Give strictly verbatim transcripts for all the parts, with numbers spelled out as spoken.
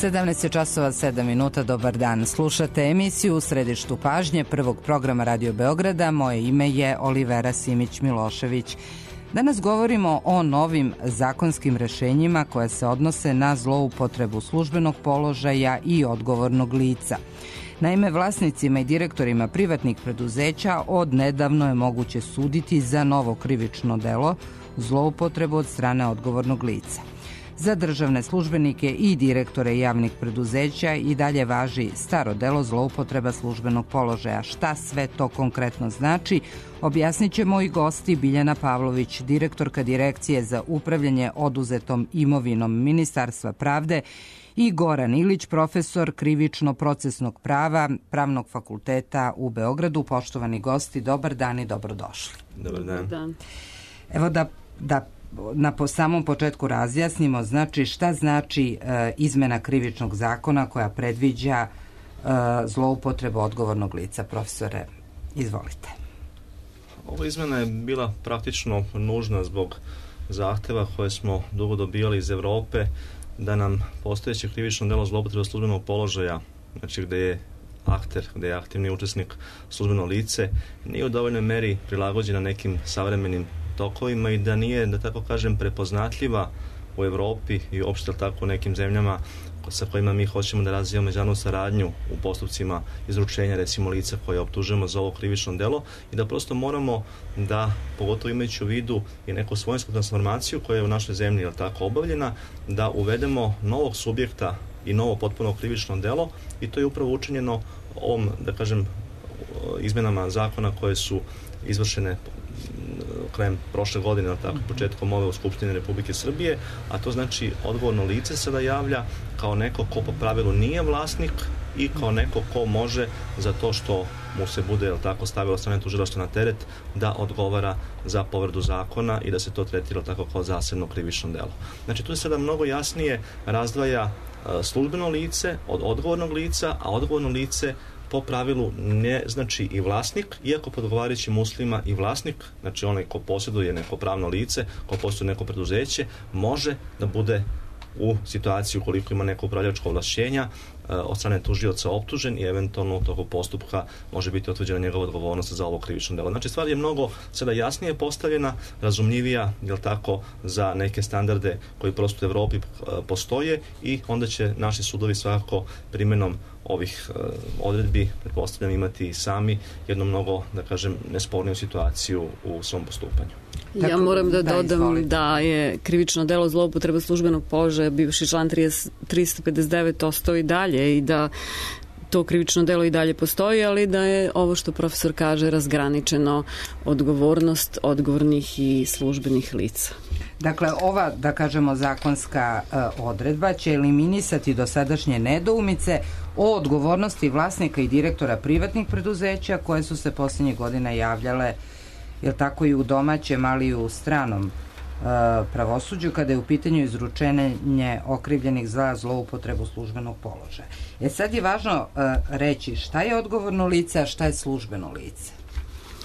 sedamnaest časova sedam minuta, dobar dan. Slušate emisiju U središtu pažnje prvog programa Radio Beograda. Moje ime je Olivera Simić-Milošević. Danas govorimo o novim zakonskim rešenjima koje se odnose na zloupotrebu službenog položaja i odgovornog lica. Naime, vlasnicima i direktorima privatnih preduzeća od nedavno je moguće suditi za novo krivično delo zloupotrebu od strane odgovornog lica. Za državne službenike i direktore javnih preduzeća i dalje važi staro delo zloupotreba službenog položaja. Šta sve to konkretno znači, objasnit će moji gosti Biljana Pavlović, direktorka Direkcije za upravljanje oduzetom imovinom Ministarstva pravde, i Goran Ilić, profesor krivično-procesnog prava Pravnog fakulteta u Beogradu. Poštovani gosti, dobar dan i dobrodošli. Dobar dan. Dobar dan. Evo da, da na po samom početku razjasnimo, znači šta znači e, izmena krivičnog zakona koja predviđa e, zloupotrebu odgovornog lica. Profesore, izvolite. Ova izmena je bila praktično nužna zbog zahteva koje smo dugo dobijali iz Evrope da nam postojeće krivično delo zloupotreba službenog položaja, znači gde je akter, gde je aktivni učesnik službeno lice, nije u dovoljnoj meri prilagođena nekim savremenim tokovima i da nije, da tako kažem, prepoznatljiva u Evropi i uopšte tako u nekim zemljama sa kojima mi hoćemo da razvijamo međunarodnu saradnju u postupcima izručenja, recimo, lica koje optužujemo za ovo krivično delo, i da prosto moramo da, pogotovo imajući u vidu i neku svojinsku transformaciju koja je u našoj zemlji je tako obavljena, da uvedemo novog subjekta i novo potpuno krivično delo, i to je upravo učinjeno ovom, da kažem, izmenama zakona koje su izvršene krajem prošle godine, tako, početkom ove u Skupštini Republike Srbije, a to znači odgovorno lice se da javlja kao neko ko po pravilu nije vlasnik i kao neko ko može za to što mu se bude, jel tako, stavilo strane tužilaštva na teret da odgovara za povredu zakona i da se to tretira tako kao zasebno krivično delo. Znači tu se sada mnogo jasnije razdvaja službeno lice od odgovornog lica, a odgovorno lice po pravilu ne znači i vlasnik, iako pod odgovarajućim uslovima i vlasnik, znači onaj ko posjeduje neko pravno lice, ko posjeduje neko preduzeće, može da bude u situaciji ukoliko ima neko upravljačko ovlašćenja od strane tužioca optužen i eventualno u toku postupka može biti utvrđena njegova odgovornost za ovo krivično delo. Znači stvar je mnogo sada jasnije postavljena, razumljivija, jel tako, za neke standarde koji prosto u Evropi postoje, i onda će naši sudovi svakako primjenom ovih uh, odredbi, pretpostavljam, imati i sami jednu mnogo, da kažem, nesporniju situaciju u svom postupanju. Ja moram da dodam da je krivično delo zloupotreba službenog položaja, bivši član tristo pedeset devet, ostao i dalje i da to krivično delo i dalje postoji, ali da je ovo što profesor kaže razgraničeno odgovornost odgovornih i službenih lica. Dakle, ova, da kažemo, zakonska uh, odredba će eliminisati dosadašnje nedoumice o odgovornosti vlasnika i direktora privatnih preduzeća koje su se posljednjih godina javljale, jel tako, i u domaćem, ali i u stranom uh, pravosuđu kada je u pitanju izručenje okrivljenih za zloupotrebu službenog položaja. E sad je važno uh, reći šta je odgovorno lice, a šta je službeno lice.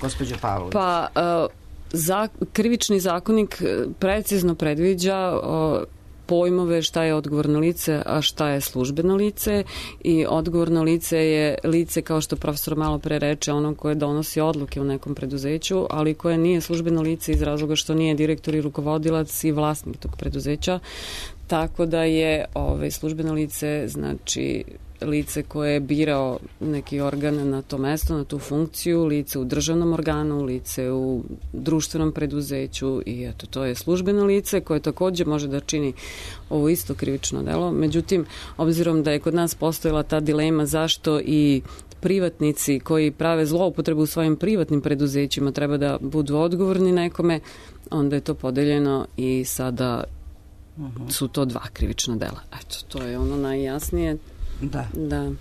Gospođo Pavlović. Pa, uh, za, krivični zakonik precizno predviđa uh, pojmove šta je odgovorno lice, a šta je službeno lice, i odgovorno lice je lice, kao što profesor malo pre reče, ono koje donosi odluke u nekom preduzeću, ali koje nije službeno lice iz razloga što nije direktor i rukovodilac i vlasnik tog preduzeća, tako da je ovaj, službeno lice, znači lice koje je birao neki organ na to mesto, na tu funkciju, lice u državnom organu, lice u društvenom preduzeću, i eto, to je službeno lice koje takođe može da čini ovo isto krivično delo. Međutim, obzirom da je kod nas postojala ta dilema zašto i privatnici koji prave zloupotrebu u svojim privatnim preduzećima treba da budu odgovorni nekome, onda je to podeljeno i sada uh-huh. su to dva krivična dela. Eto, to je ono najjasnije. Da. Da.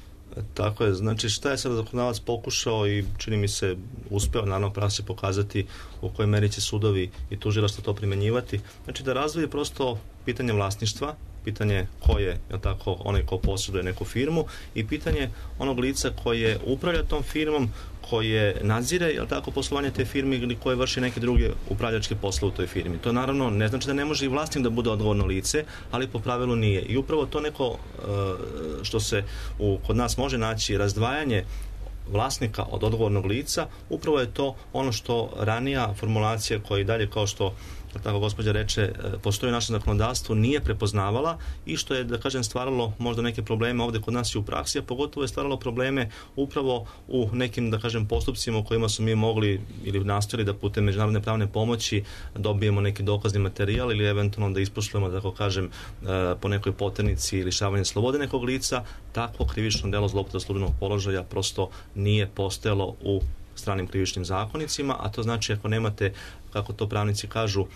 Tako je, znači šta je sada zakonodavac pokušao i čini mi se uspeo, naravno praksi pokazati u kojoj meri će sudovi i tužilaštva to primenjivati, znači da razvije prosto pitanje vlasništva pitanje ko je, je tako, onaj ko posjeduje neku firmu i pitanje onog lica koje upravlja tom firmom, koje nadzire, je tako, poslovanje te firme ili koje vrši neke druge upravljačke poslove u toj firmi. To naravno ne znači da ne može i vlasnik da bude odgovorno lice, ali po pravilu nije. I upravo to neko što se u, kod nas može naći razdvajanje vlasnika od odgovornog lica, upravo je to ono što ranija formulacija koja i dalje, kao što tako gospođa reče, postoji u našem zakonodavstvu, nije prepoznavala i što je, da kažem, stvaralo možda neke probleme ovde kod nas i u praksi, a pogotovo je stvaralo probleme upravo u nekim, da kažem, postupcima u kojima su mi mogli ili nastojali da putem međunarodne pravne pomoći dobijemo neki dokazni materijal ili eventualno da isposlujemo, da tako kažem, po nekoj poternici ili lišavanje slobode nekog lica. Takvo krivično delo zloupotrebe službenog položaja prosto nije postojalo u stranim krivičnim zakonicima, a to znači ako nemate, kako to pravnici kažu,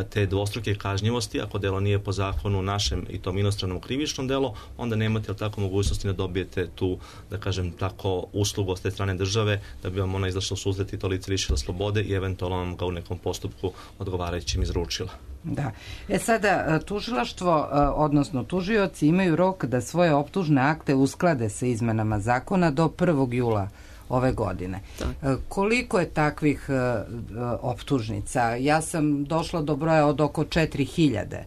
te dvostruke kažnjivosti, ako delo nije po zakonu našem i tom inostranom krivičnom delo, onda nemate, ali tako, mogućnosti da dobijete tu, da kažem, tako uslugu od te strane države, da bi vam ona izašla u susret i to lice lišila slobode i eventualno vam ga u nekom postupku odgovarajućim izručila. Da. E sada, tužilaštvo, odnosno tužioci imaju rok da svoje optužne akte usklade sa izmenama zakona do prvog jula ove godine. Tak. Koliko je takvih optužnica? Ja sam došla do broja od oko četiri hiljade.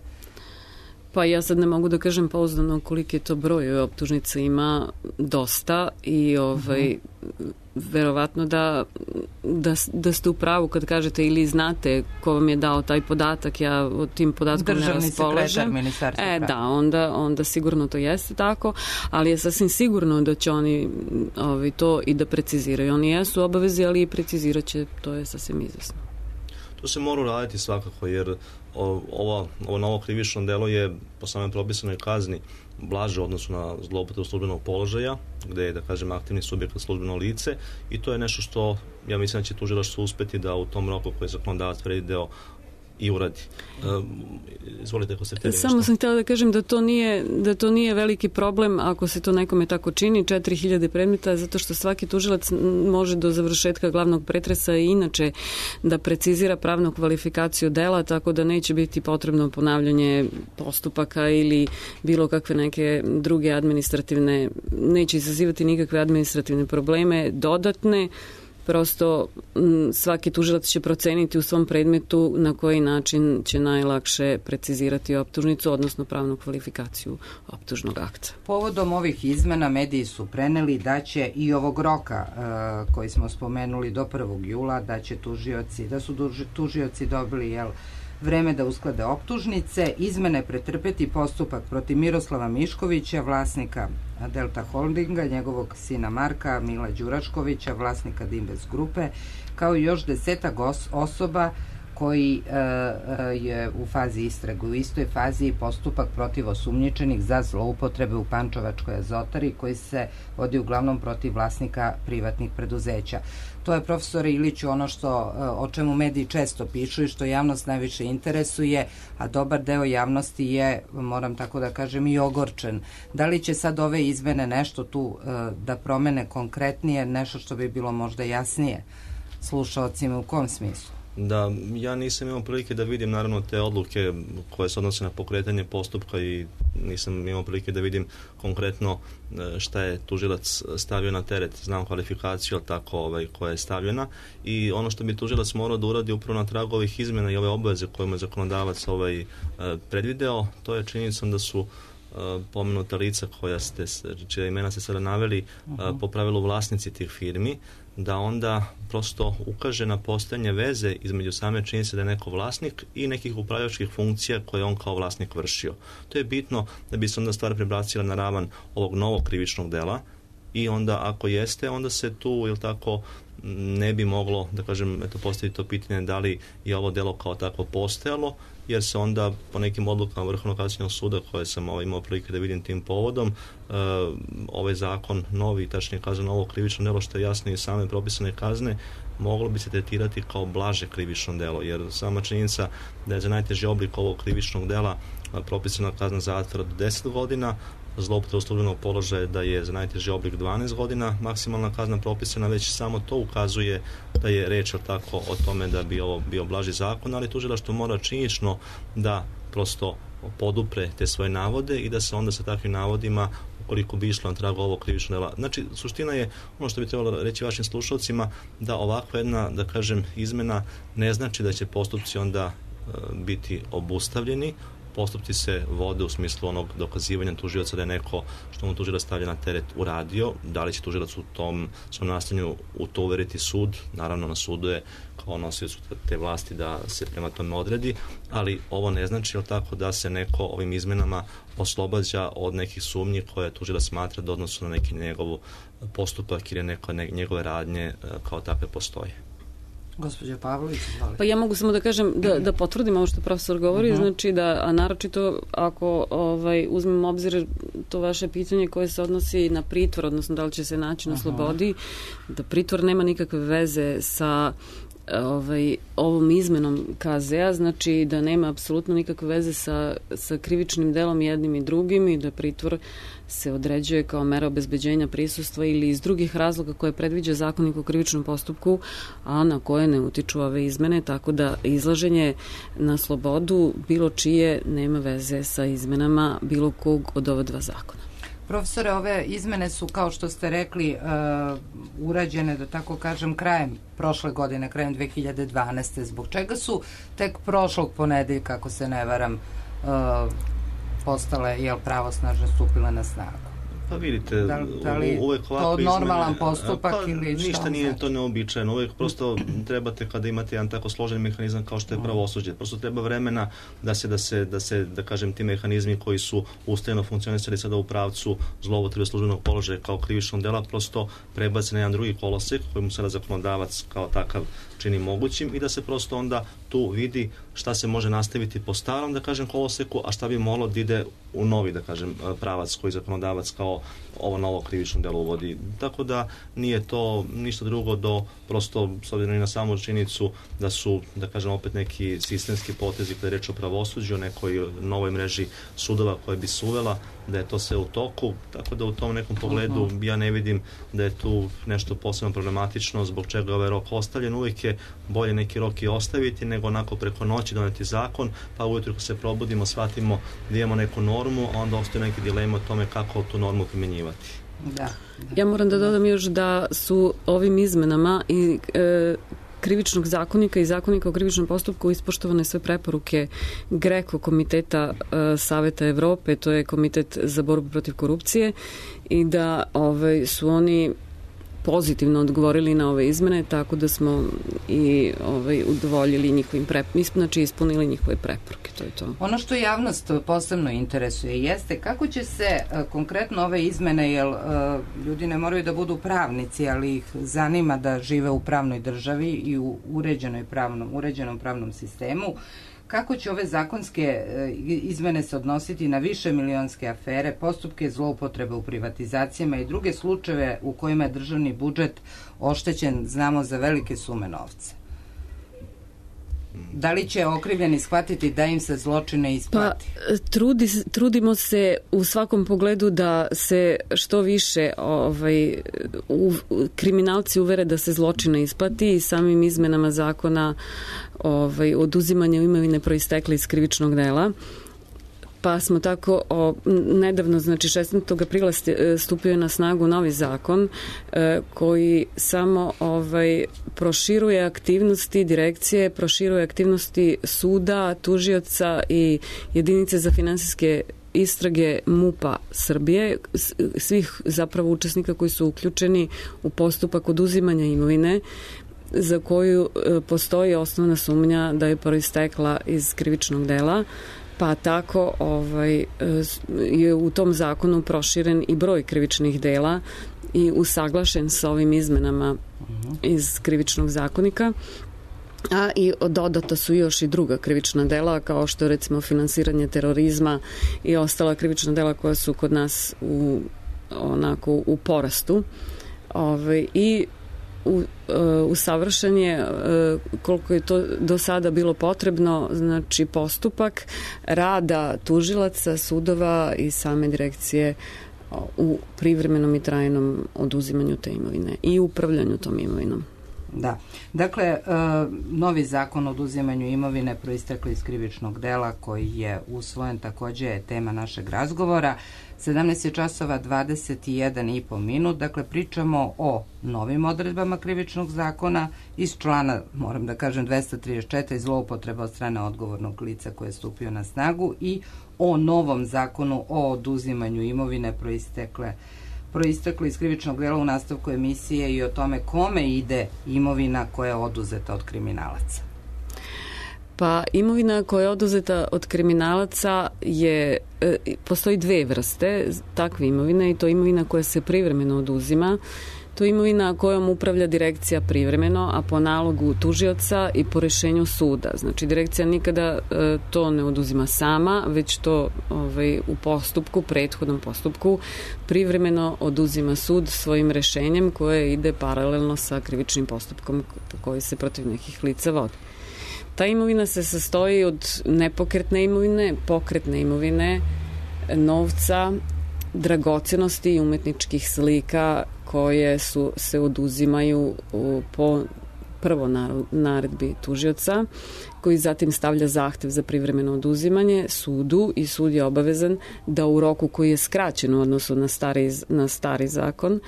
Pa ja sad ne mogu da kažem pouzdano koliki je to broj, optužnica ima dosta i ovaj, uh-huh. verovatno da, da, da ste u pravu kad kažete ili znate ko vam je dao taj podatak, ja od tim podatkom Državni ne raspolažem. Ministarstvo E, prava. da, onda, onda sigurno to jeste tako, ali je sasvim sigurno da će oni ovaj, to i da preciziraju. Oni jesu obavezi, ali i precizirat će, to je sasvim izvesno. To se mora uraditi svakako, jer ovo, ovo novo krivično delo je po samoj propisanoj kazni blaže u odnosu na zloupotrebu službenog položaja, gde je, da kažem, aktivni subjekat službeno lice, i to je nešto što ja mislim da će tužilaštvo uspeti da u tom roku koji je zakonodavac predvideo i uradi. Uh, izvolite, ako ste htjeli nešto. Samo sam htjela da kažem da to nije, da to nije veliki problem ako se to nekome tako čini, četiri hiljade predmeta, zato što svaki tužilac može do završetka glavnog pretresa i inače da precizira pravnu kvalifikaciju dela, tako da neće biti potrebno ponavljanje postupaka ili bilo kakve neke druge administrativne, neće izazivati nikakve administrativne probleme dodatne. Prosto svaki tužilac će proceniti u svom predmetu na koji način će najlakše precizirati optužnicu, odnosno pravnu kvalifikaciju optužnog akta. Povodom ovih izmena mediji su preneli da će i ovog roka uh, koji smo spomenuli do prvog jula, da će tužioci, da su duži, tužioci dobili, jel, vreme da usklade optužnice, izmene pretrpeti postupak protiv Miroslava Miškovića, vlasnika Delta Holdinga, njegovog sina Marka, Mila Đuraškovića, vlasnika Dimbes grupe, kao i još desetak osoba koji e, je u fazi istrage. U istoj fazi postupak protiv osumnjičenih za zloupotrebe u Pančevačkoj azotari, koji se vodi uglavnom protiv vlasnika privatnih preduzeća. To je, profesore Iliću, ono što, o čemu mediji često pišu i što javnost najviše interesuje, a dobar deo javnosti je, moram tako da kažem, i ogorčen. Da li će sad ove izmene nešto tu da promene konkretnije, nešto što bi bilo možda jasnije slušaocima, u kom smislu? Da, ja nisam imao prilike da vidim naravno te odluke koje se odnose na pokretanje postupka i nisam imao prilike da vidim konkretno šta je tužilac stavio na teret. Znam kvalifikaciju, ali tako, ovaj, koja je stavljena, i ono što bi tužilac morao da uradi upravo na tragu ovih izmena i ove obaveze koje mu je zakonodavac ovaj, predvideo, to je činjenicom da su pomenuta lica koja ste, čija imena ste sada naveli, uh-huh. po pravilu vlasnici tih firmi, da onda prosto ukaže na postojanje veze između same činjenice da je neko vlasnik i nekih upravljačkih funkcija koje on kao vlasnik vršio. To je bitno da bi se onda stvar prebacila na ravan ovog novog krivičnog dela, i onda ako jeste, onda se tu, ili tako, ne bi moglo, da kažem, eto, postaviti to pitanje da li je ovo delo kao tako postojalo, jer se onda po nekim odlukama Vrhovnog kasacionog suda koje sam ovaj, imao prilike da vidim tim povodom, uh, ovaj zakon novi, tačnije kazano ovo krivično delo, što je jasno i same propisane kazne, moglo bi se tretirati kao blaže krivično delo, jer sama činjenica da je za najteži oblik ovog krivičnog dela propisana kazna zatvora do deset godina, zloupotreba službenog položaja da je za najteži oblik dvanaest godina maksimalna kazna propisana, već samo to ukazuje da je reč tako o tome da bi ovo bio blaži zakon, ali tužilaštvo mora činjenično da prosto podupre te svoje navode i da se onda sa takvim navodima, koliko bi išlo na tragu ovog krivičnog dela. Znači, suština je, ono što bi trebalo reći vašim slušalcima, da ovakva jedna, da kažem, izmena ne znači da će postupci onda e, biti obustavljeni. Postupci se vode u smislu onog dokazivanja tužioca da je neko što mu tužilac stavlja na teret uradio. Da li će tužilac u tom svom nastanju u to uveriti sud? Naravno, na sudu je kao nosiocu te vlasti da se prema tome odredi, ali ovo ne znači, jel tako, da se neko ovim izmenama oslobađa od nekih sumnji koje tužilac smatra da odnosu na neki njegov postupak ili neko njegove radnje kao takve postoje. Gospođa Pavlović, izvolite. Pa ja mogu samo da kažem, da, da potvrdim ovo što profesor govori, uh-huh. znači da, a naročito ako ovaj, uzmem obzir to vaše pitanje koje se odnosi na pritvor, odnosno da li će se naći na uh-huh. slobodi, da pritvor nema nikakve veze sa ovaj, ovom izmenom K Z-a, znači da nema apsolutno nikakve veze sa, sa krivičnim delom jednim i drugim i da pritvor se određuje kao mera obezbeđenja prisustva ili iz drugih razloga koje predviđa Zakonik o krivičnom postupku, a na koje ne utiču ove izmene, tako da izlaženje na slobodu bilo čije nema veze sa izmenama bilo kog od ova dva zakona. Profesore, ove izmene su, kao što ste rekli, uh, urađene, da tako kažem, krajem prošle godine, krajem dve hiljade dvanaeste. Zbog čega su tek prošlog ponedeljka, ako se ne varam, uh, postale, jel, pravosnažno stupile na snagu? Pa vidite, da, da li uvek ovako to normalan izmene, postupak pa, ili šta? Ništa nije to neobičajeno, uvek prosto trebate kada imate jedan tako složen mehanizam kao što je pravosuđe, prosto treba vremena da se, da se, da se, da kažem, ti mehanizmi koji su ustajeno funkcionisali sada u pravcu zloupotrebe službenog položaja kao krivičnog dela, prosto prebace na jedan drugi kolosek koji mu sada zakonodavac kao takav čini mogućim i da se prosto onda tu vidi šta se može nastaviti po starom, da kažem, koloseku, a šta bi moglo da ide u novi, da kažem, pravac koji zakonodavac kao ovo novo krivično delo uvodi. Tako da nije to ništa drugo do prosto, s obzirom i na samu činjenicu da su, da kažem, opet neki sistemski potezi kada je reč o pravosuđu, o nekoj novoj mreži sudova koje bi se uvela, da je to sve u toku, tako da u tom nekom pogledu ja ne vidim da je tu nešto posebno problematično zbog čega ovaj rok ostavljen. Uvijek je bolje neki rok i ostaviti nego onako preko noći doneti zakon, pa ujutro kad se probudimo, shvatimo da imamo neku normu, a onda ostaje neki dilema o tome kako tu normu primjenjivati. Da, da. Ja moram da dodam još da su ovim izmenama i e, krivičnog zakonika i zakonika o krivičnom postupku ispoštovane sve preporuke GRECO komiteta e, Saveta Evrope, to je komitet za borbu protiv korupcije, i da ovaj, su oni pozitivno odgovorili na ove izmene, tako da smo i ovaj, udovoljili njihovim preporukama, znači ispunili njihove preporuke, to je to. Ono što javnost posebno interesuje jeste kako će se uh, konkretno ove izmene, jer uh, ljudi ne moraju da budu pravnici, ali ih zanima da žive u pravnoj državi i u uređenoj pravnom, uređenom pravnom sistemu, kako će ove zakonske izmene se odnositi na više milionske afere, postupke zloupotrebe u privatizacijama i druge slučajeve u kojima je državni budžet oštećen, znamo, za velike sume novca? Da li će okrivljeni shvatiti da im se zločine isplati? Pa, trudi, trudimo se u svakom pogledu da se što više ovaj, u, kriminalci uvere da se zločine isplati i samim izmenama zakona ovaj, oduzimanja imovine proistekle iz krivičnog dela. Pa smo tako o, nedavno, znači šesnaestog aprila stupio je na snagu novi zakon e, koji samo ovaj, proširuje aktivnosti direkcije, proširuje aktivnosti suda, tužioca i jedinice za finansijske istrage MUP-a Srbije, svih zapravo učesnika koji su uključeni u postupak oduzimanja imovine za koju e, postoji osnovna sumnja da je proistekla iz krivičnog dela. Pa tako ovaj, je u tom zakonu proširen i broj krivičnih dela i usaglašen sa ovim izmenama iz krivičnog zakonika. A i dodata su još i druga krivična dela, kao što je recimo finansiranje terorizma i ostala krivična dela koja su kod nas u, onako, u porastu. Ovaj, I U, u savršen je koliko je to do sada bilo potrebno, znači postupak rada tužilaca, sudova i same direkcije u privremenom i trajnom oduzimanju te imovine i upravljanju tom imovinom. Da. Dakle, novi zakon o oduzimanju imovine proistekli iz krivičnog dela koji je usvojen takođe je tema našeg razgovora. sedamnaest je časova dvadeset jedan i po minut, dakle pričamo o novim odredbama krivičnog zakona iz člana, moram da kažem, dvesta trideset četiri, zloupotreba od strane odgovornog lica koje je stupio na snagu, i o novom zakonu o oduzimanju imovine proistekle proistekli iz krivičnog dela u nastavku emisije i o tome kome ide imovina koja je oduzeta od kriminalaca. Pa imovina koja je oduzeta od kriminalaca je, e, postoji dve vrste takve imovine, i to imovina koja se privremeno oduzima. To je imovina kojom upravlja direkcija privremeno, a po nalogu tužioca i po rešenju suda. Znači, direkcija nikada e, to ne oduzima sama, već to ovaj, u postupku, prethodnom postupku, privremeno oduzima sud svojim rešenjem koje ide paralelno sa krivičnim postupkom koji se protiv nekih lica vodi. Ta imovina se sastoji od nepokretne imovine, pokretne imovine, novca, dragocenosti i umetničkih slika koje su, se oduzimaju u, po prvo naredbi tužioca, koji zatim stavlja zahtev za privremeno oduzimanje sudu, i sud je obavezan da u roku koji je skraćen u odnosu na stari, na stari zakon,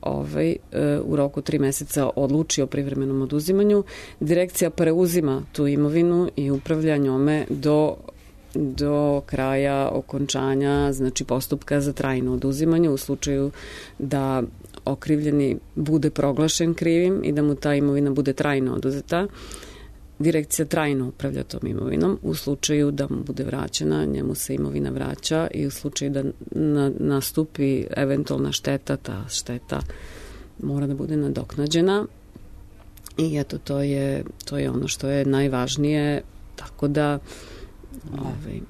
ovaj, u roku tri meseca odluči o privremenom oduzimanju. Direkcija preuzima tu imovinu i upravlja njome do do kraja okončanja, znači postupka za trajno oduzimanje, u slučaju da okrivljeni bude proglašen krivim i da mu ta imovina bude trajno oduzeta. Direkcija trajno upravlja tom imovinom. U slučaju da mu bude vraćena, njemu se imovina vraća, i u slučaju da na, nastupi eventualna šteta, ta šteta mora da bude nadoknađena. I eto, to je, to je ono što je najvažnije, tako da Ovaj,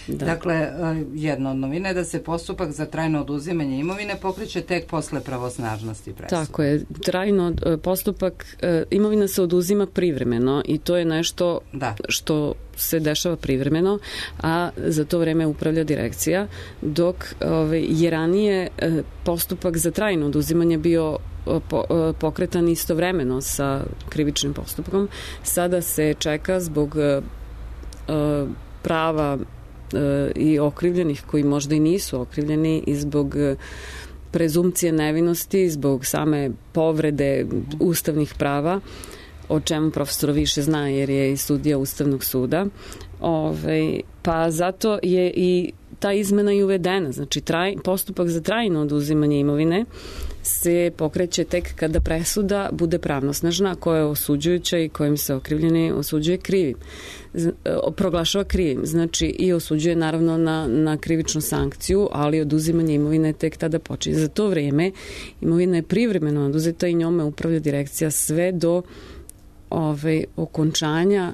da. Dakle, jedna od novina je da se postupak za trajno oduzimanje imovine pokreće tek posle pravosnažnosti presude. Tako je, trajno postupak, imovina se oduzima privremeno, i to je nešto da. što se dešava privremeno, a za to vreme upravlja direkcija, dok ovaj, je ranije postupak za trajno oduzimanje bio pokretan istovremeno sa krivičnim postupkom. Sada se čeka zbog prava e, i okrivljenih koji možda i nisu okrivljeni, i zbog prezumcije nevinosti, zbog same povrede ustavnih prava, o čemu profesor više zna jer je i sudija Ustavnog suda. Ove, pa zato je i ta izmena i uvedena. Znači, traj, postupak za trajno oduzimanje imovine se pokreće tek kada presuda bude pravnosnažna, koja je osuđujuća i kojim se okrivljeni osuđuje krivim. Proglašava krivim, znači i osuđuje naravno na, na krivičnu sankciju, ali oduzimanje imovine tek tada počinje. Za to vreme imovina je privremeno oduzeta i njome upravlja direkcija sve do ovaj, okončanja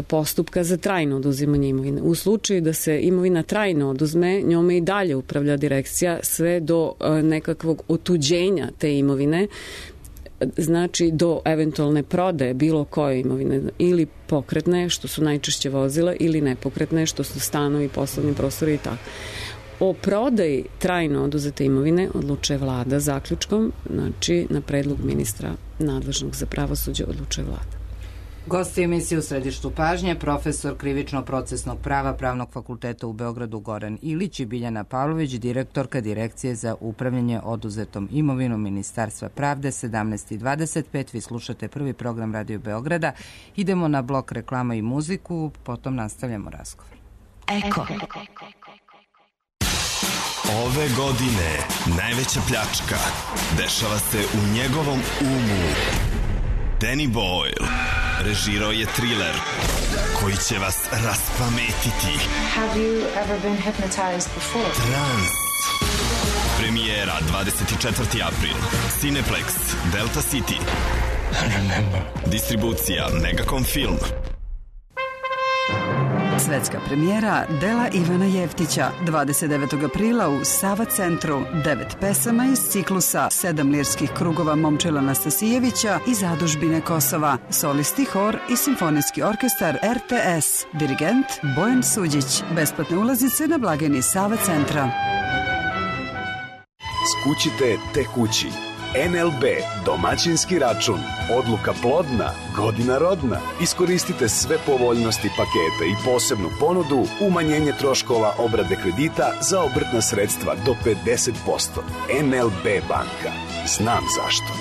postupka za trajno oduzimanje imovine. U slučaju da se imovina trajno oduzme, njome i dalje upravlja direkcija sve do nekakvog otuđenja te imovine, znači do eventualne prodaje bilo koje imovine, ili pokretne, što su najčešće vozila, ili nepokretne, što su stanovi, poslovni prostori i tako. O prodaji trajno oduzete imovine odlučuje vlada zaključkom, znači na predlog ministra nadležnog za pravosuđe odlučuje vlada. Gosti emisije u središtu pažnje, profesor krivično-procesnog prava Pravnog fakulteta u Beogradu Goran Ilić i Biljana Pavlović, direktorka Direkcije za upravljanje oduzetom imovinom Ministarstva pravde. sedamnaest i dvadeset pet, vi slušate prvi program Radio Beograda. Idemo na blok reklama i muziku, potom nastavljamo razgovor. Eko. Ove godine najveća pljačka dešava se u njegovom umu. Danny Boyle režirao je thriller koji će vas raspametiti. Have you ever been hypnotized before? Trans. Premijera dvadeset četvrti april. Cineplex, Delta City. I remember. Distribucija Megacom Film. Svetska premijera dela Ivana Jeftića dvadeset devetog aprila u Sava centru. Devet pesama iz ciklusa Sedam lirskih krugova Momčila Nastasijevića i Zadužbine Kosova. Solisti, hor i simfonijski orkestar R T S. Dirigent Bojan Suđić. Besplatne ulaznice na blagajni Sava centra. Skućite te kući. N L B, domaćinski račun. Odluka plodna, godina rodna. Iskoristite sve povoljnosti paketa i posebnu ponudu, umanjenje troškova obrade kredita za obrtna sredstva do pedeset posto. N L B banka. Znam zašto.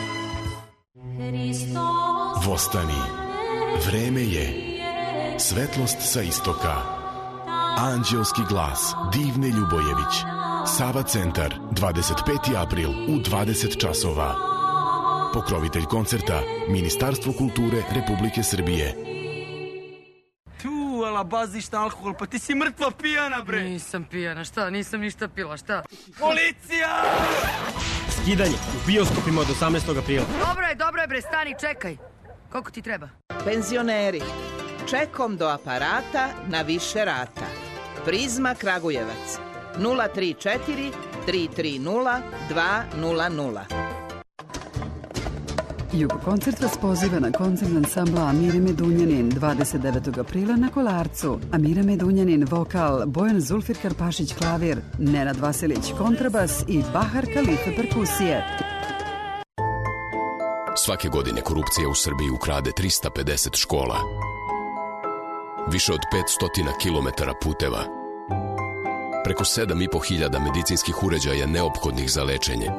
Vostani. Vreme je. Svetlost sa istoka. Anđelski glas Divne Ljubojević. Sava centar, dvadeset peti april u dvadeset časova. Pokrovitelj koncerta Ministarstvo kulture Republike Srbije. Tu, ala baziš na alkohol, pa ti si mrtva pijana, bre. Nisam pijana, šta? Nisam ništa pila, šta? Policija! Skidanje u bioskopima od osamnaestog aprila. Dobro je, dobro je, bre, stani, čekaj. Koliko ti treba? Penzioneri, čekom do aparata na više rata. Prizma Kragujevac, nula tri četiri tri tri nula dva nula nula. Jugokoncert vas poziva na koncert ansambla Amire Medunjanin dvadeset devetog aprila na Kolarcu. Amira Medunjanin vokal, Bojan Zulfir Karpašić klavir, Nenad Vasilić kontrabas i Bahar Kalife perkusije. Svake godine korupcija u Srbiji ukrade trista pedeset škola. Više od petsto kilometara puteva. Preko sedam i po hiljada medicinskih uređaja neophodnih za lečenje.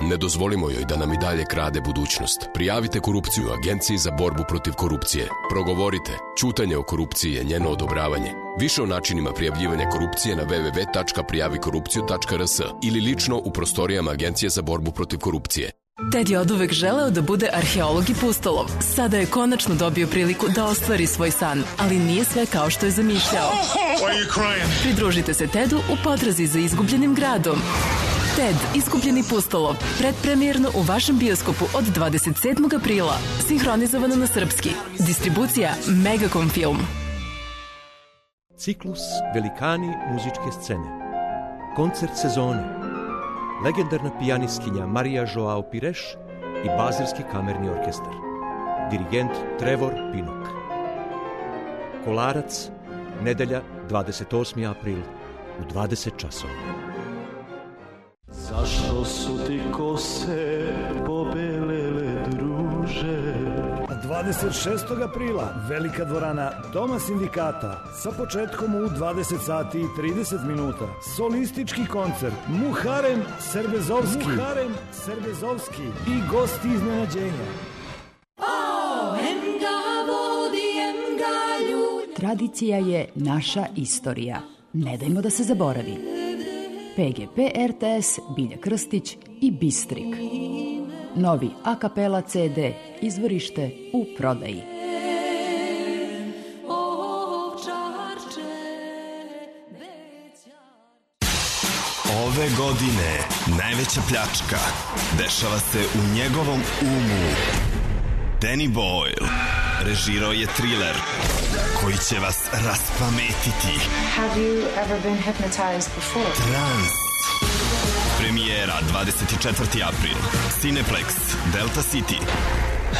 Ne dozvolimo joj da nam i dalje krade budućnost. Prijavite korupciju Agenciji za borbu protiv korupcije. Progovorite. Ćutanje o korupciji je njeno odobravanje. Više o načinima prijavljivanja korupcije na w w w tačka prijavi korupciju tačka r s ili lično u prostorijama Agencije za borbu protiv korupcije. Ted je oduvek želeo da bude arheolog i pustolov. Sada je konačno dobio priliku da ostvari svoj san, ali nije sve kao što je zamišljao. Pridružite se Tedu u potrazi za izgubljenim gradom. Ted, izgubljeni pustolov, predpremijerno u vašem bioskopu od dvadeset sedmog aprila. Sinhronizovano na srpski. Distribucija Megacom Film. Ciklus Velikani muzičke scene. Koncert sezone. Legendarna pijanistkinja Marija Joao Pires i Bazilski kamerni orkestar. Dirigent Trevor Pinnock. Kolarac, nedelja dvadeset osmi april u dvadeset časova. Zašto su ti kose pobelele, druže? dvadeset šestog aprila Velika dvorana Doma sindikata sa početkom u dvadeset sati i trideset minuta. Solistički koncert Muharem Serbezovski, Muharem Serbezovski i gosti iznenađenja. Tradicija je naša istorija. Ne dajmo da se zaboravi. P G P R T S, Bilja Krstić i Bistrik. Novi a kapela C D, izvorište u prodaji. Ove godine najveća pljačka dešava se u njegovom umu. Danny Boyle režirao je triler koji će vas raspametiti. Have you ever been hypnotized before? Trans. Premijera dvadeset četvrti april. Cineplex, Delta City.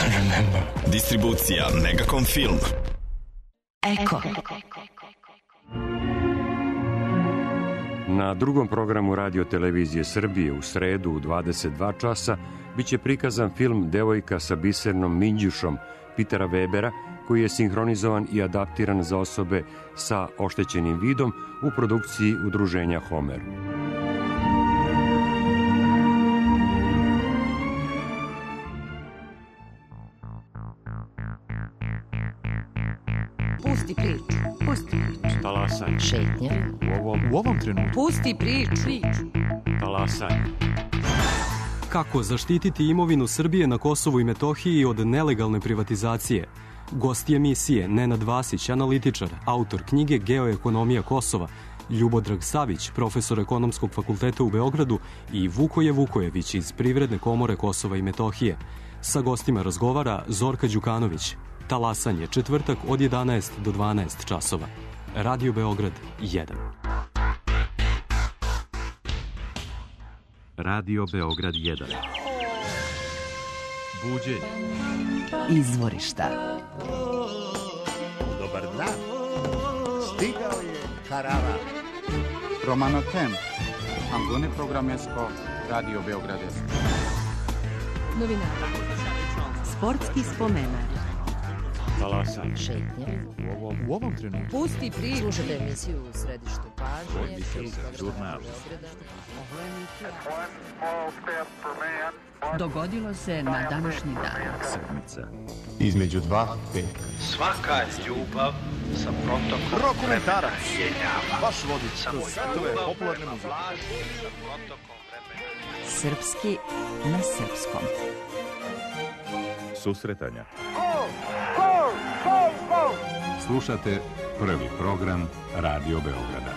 Remember. Distribucija Megacom Film. Eko. Na drugom programu Radio Televizije Srbije u sredu u dvadeset dva časa biće prikazan film Devojka sa bisernom minđušom Petera Webera, koji je sinhronizovan i adaptiran za osobe sa oštećenim vidom u produkciji udruženja Homer. Pusti priču, pusti priču. Talasanje. Šetnja. U ovom, u ovom trenutku. Pusti priču. Talasanje. Kako zaštititi imovinu Srbije na Kosovu i Metohiji od nelegalne privatizacije? Gosti emisije Nenad Vasić, analitičar, autor knjige Geoekonomija Kosova, Ljubodrag Savić, profesor Ekonomskog fakulteta u Beogradu i Vukoje Vukojević iz Privredne komore Kosova i Metohije. Sa gostima razgovara Zorka Đukanović. Talasanje, četvrtak od jedanaest do dvanaest časova. Radio Beograd jedan. Radio Beograd jedan. Buđenje. Izvorišta. Dobar dan. Stigao je karavan. Romano Tem. Angone Programesko, Radio Beograd. Novinari. Sportski spomenar. Talasa. Šetnje. U ovom, u ovom trenutku. Pusti priču. Slušajte emisiju u središtu pažnje. Žurnal. Dogodilo se na današnji dan. Sedmica. Između dva peta. Svaka ljubav sa protokom Dokumentarac. vremena. Vaš vodič kroz svetove popularne muzike. Sa protokom vremena. Srpski na srpskom. Susretanja. Slušate prvi program Radio Beograda.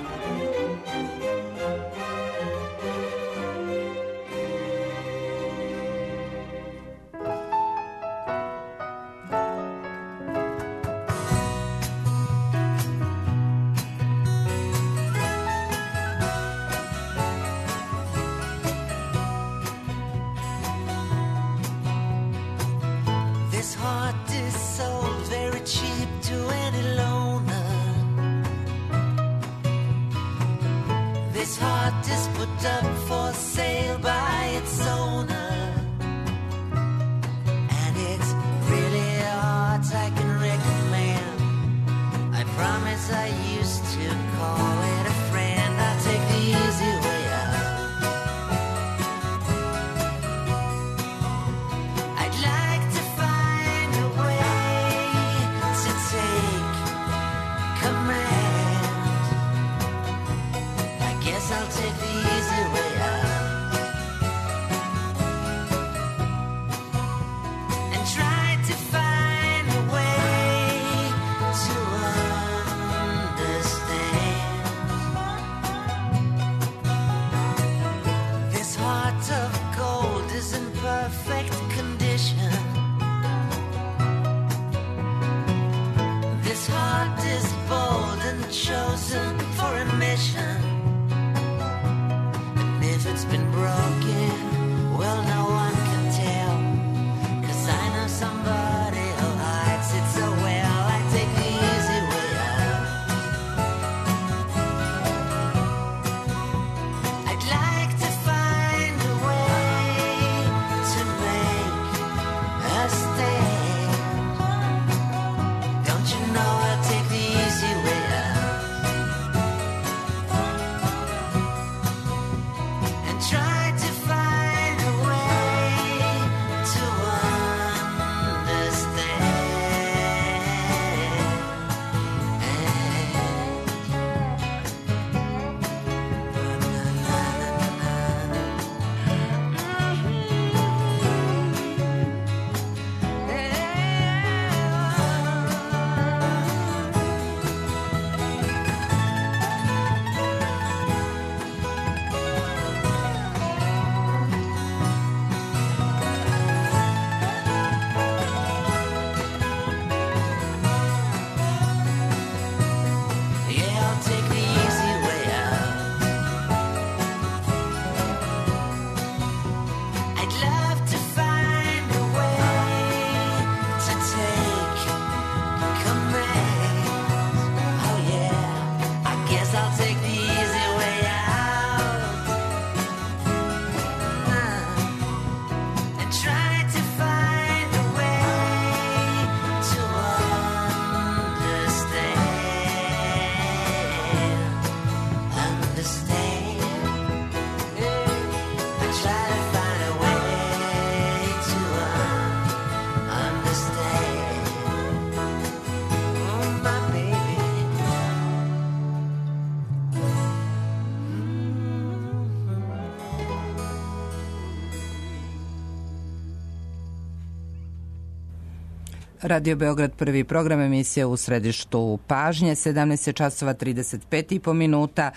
Radio Beograd, prvi program, emisija u središtu pažnje, sedamnaest časova trideset pet i po minuta.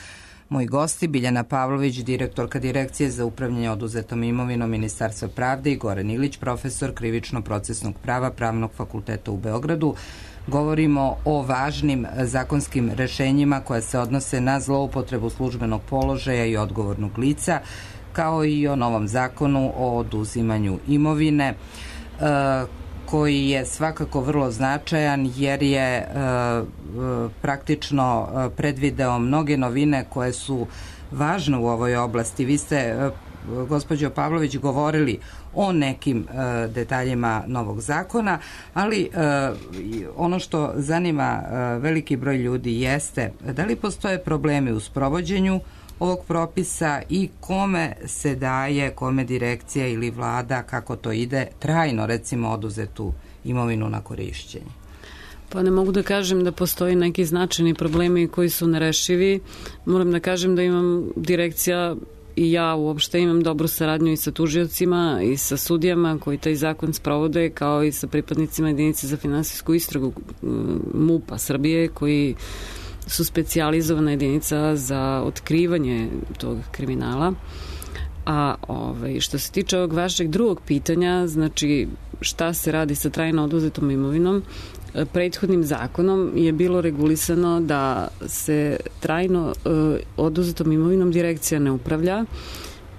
Moji gosti, Biljana Pavlović, direktorka Direkcije za upravljanje oduzetom imovinom Ministarstva pravde, i Goran Ilić, profesor krivično-procesnog prava Pravnog fakulteta u Beogradu. Govorimo o važnim zakonskim rešenjima koja se odnose na zloupotrebu službenog položaja i odgovornog lica, kao i o novom zakonu o oduzimanju imovine, koji je svakako vrlo značajan jer je e, praktično predvideo mnoge novine koje su važne u ovoj oblasti. Vi ste gospođo Pavlović, govorili o nekim e, detaljima novog zakona, ali e, ono što zanima e, veliki broj ljudi jeste da li postoje problemi u sprovođenju ovog propisa i kome se daje, kome direkcija ili vlada, kako to ide, trajno recimo oduzetu imovinu na korišćenje. Pa ne mogu da kažem da postoji neki značajni problemi koji su nerešivi. Moram da kažem da imam direkcija i ja uopšte imam dobru saradnju i sa tužiocima i sa sudijama koji taj zakon sprovode, kao i sa pripadnicima jedinice za finansijsku istragu MUP-a Srbije, koji su specijalizovana jedinica za otkrivanje tog kriminala. A ovaj, što se tiče ovog vašeg drugog pitanja, znači šta se radi sa trajno oduzetom imovinom, prethodnim zakonom je bilo regulisano da se trajno e, oduzetom imovinom direkcija ne upravlja,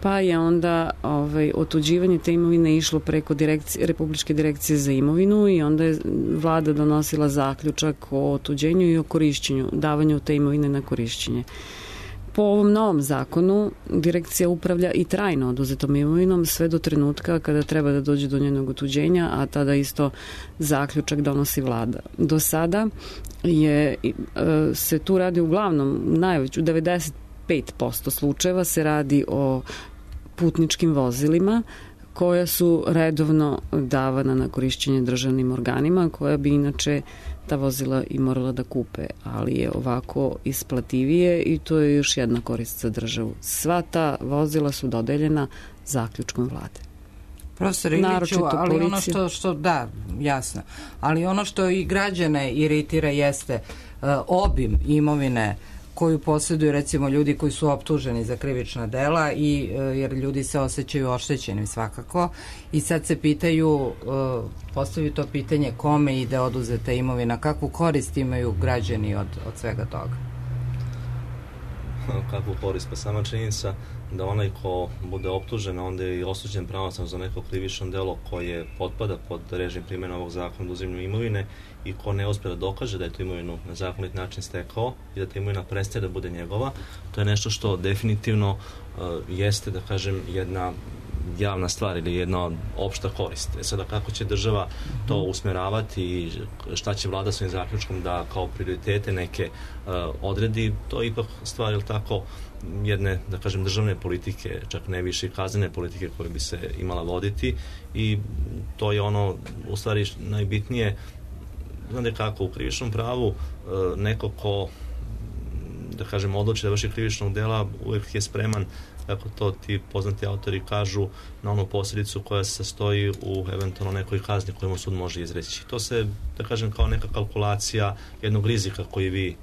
pa je onda ovaj, otuđivanje te imovine išlo preko direkcije, Republičke direkcije za imovinu i onda je vlada donosila zaključak o otuđenju i o korišćenju, davanju te imovine na korišćenje. Po ovom novom zakonu direkcija upravlja i trajno oduzetom imovinom sve do trenutka kada treba da dođe do njenog otuđenja, a tada isto zaključak donosi vlada. Do sada je, se tu radi uglavnom, najveću, u devedeset pet posto slučajeva se radi o putničkim vozilima koja su redovno davana na korišćenje državnim organima, koja bi inače ta vozila i morala da kupe, ali je ovako isplativije i to je još jedna korist za državu. Sva ta vozila su dodeljena zaključkom vlade. Profesor Iliću, ali policija. ono što, što, da, jasno, ali ono što i građane iritira jeste uh, obim imovine koju posjeduju recimo ljudi koji su optuženi za krivična dela i jer ljudi se osjećaju oštećenim svakako i sad se pitaju, postavljaju to pitanje kome ide oduzeta imovina, kakvu korist imaju građani od, od svega toga? Kakvu korist? Pa sama činjenica da onaj ko bude optužen, onda je i osuđen pravosnažno za neko krivično delo koje potpada pod režim primjene ovog zakona o uzimanju imovine i ko ne uspije da dokaže da je tu imovinu na zakonit način stekao i da ta imovina prestaje da bude njegova, to je nešto što definitivno uh, jeste, da kažem, jedna javna stvar ili jedna opšta korist. E sada kako će država to usmeravati i šta će vlada svojim zaključkom da kao prioritete neke uh, odredi, to je ipak stvar, ili tako, jedne, da kažem, državne politike, čak ne više kaznene politike koje bi se imala voditi i to je ono, u stvari, najbitnije. Znate kako, u krivičnom pravu neko ko, da kažem, odluči da vrši krivičnog dela, uvijek je spreman, kako to ti poznati autori kažu, na onu posljedicu koja se sastoji u eventualno nekoj kazni koju mu sud može izreći. To se, da kažem, kao neka kalkulacija jednog rizika koji vi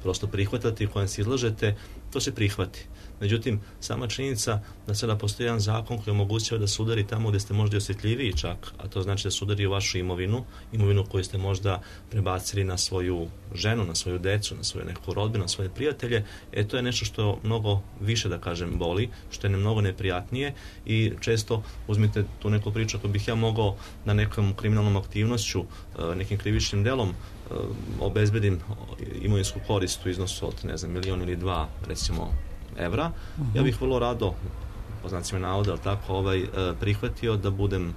prosto prihvatate i kojem se izlažete, to se prihvati. Međutim, sama činjenica da sada postoji jedan zakon koji omogućava da se udari tamo gdje ste možda osjetljiviji čak, a to znači da se udari u vašu imovinu, imovinu koju ste možda prebacili na svoju ženu, na svoju decu, na svoju neku rodbinu, na svoje prijatelje, e to je nešto što mnogo više, da kažem, boli, što je ne mnogo neprijatnije i često uzmite tu neku priču, ako bih ja mogao na nekom kriminalnom aktivnošću, nekim krivičnim delom obezbedim imovinsku korist u iznosu od, ne znam, milion ili dva, recimo, evra, uh-huh. ja bih vrlo rado, po znacima navoda, ali tako, ovaj, prihvatio da budem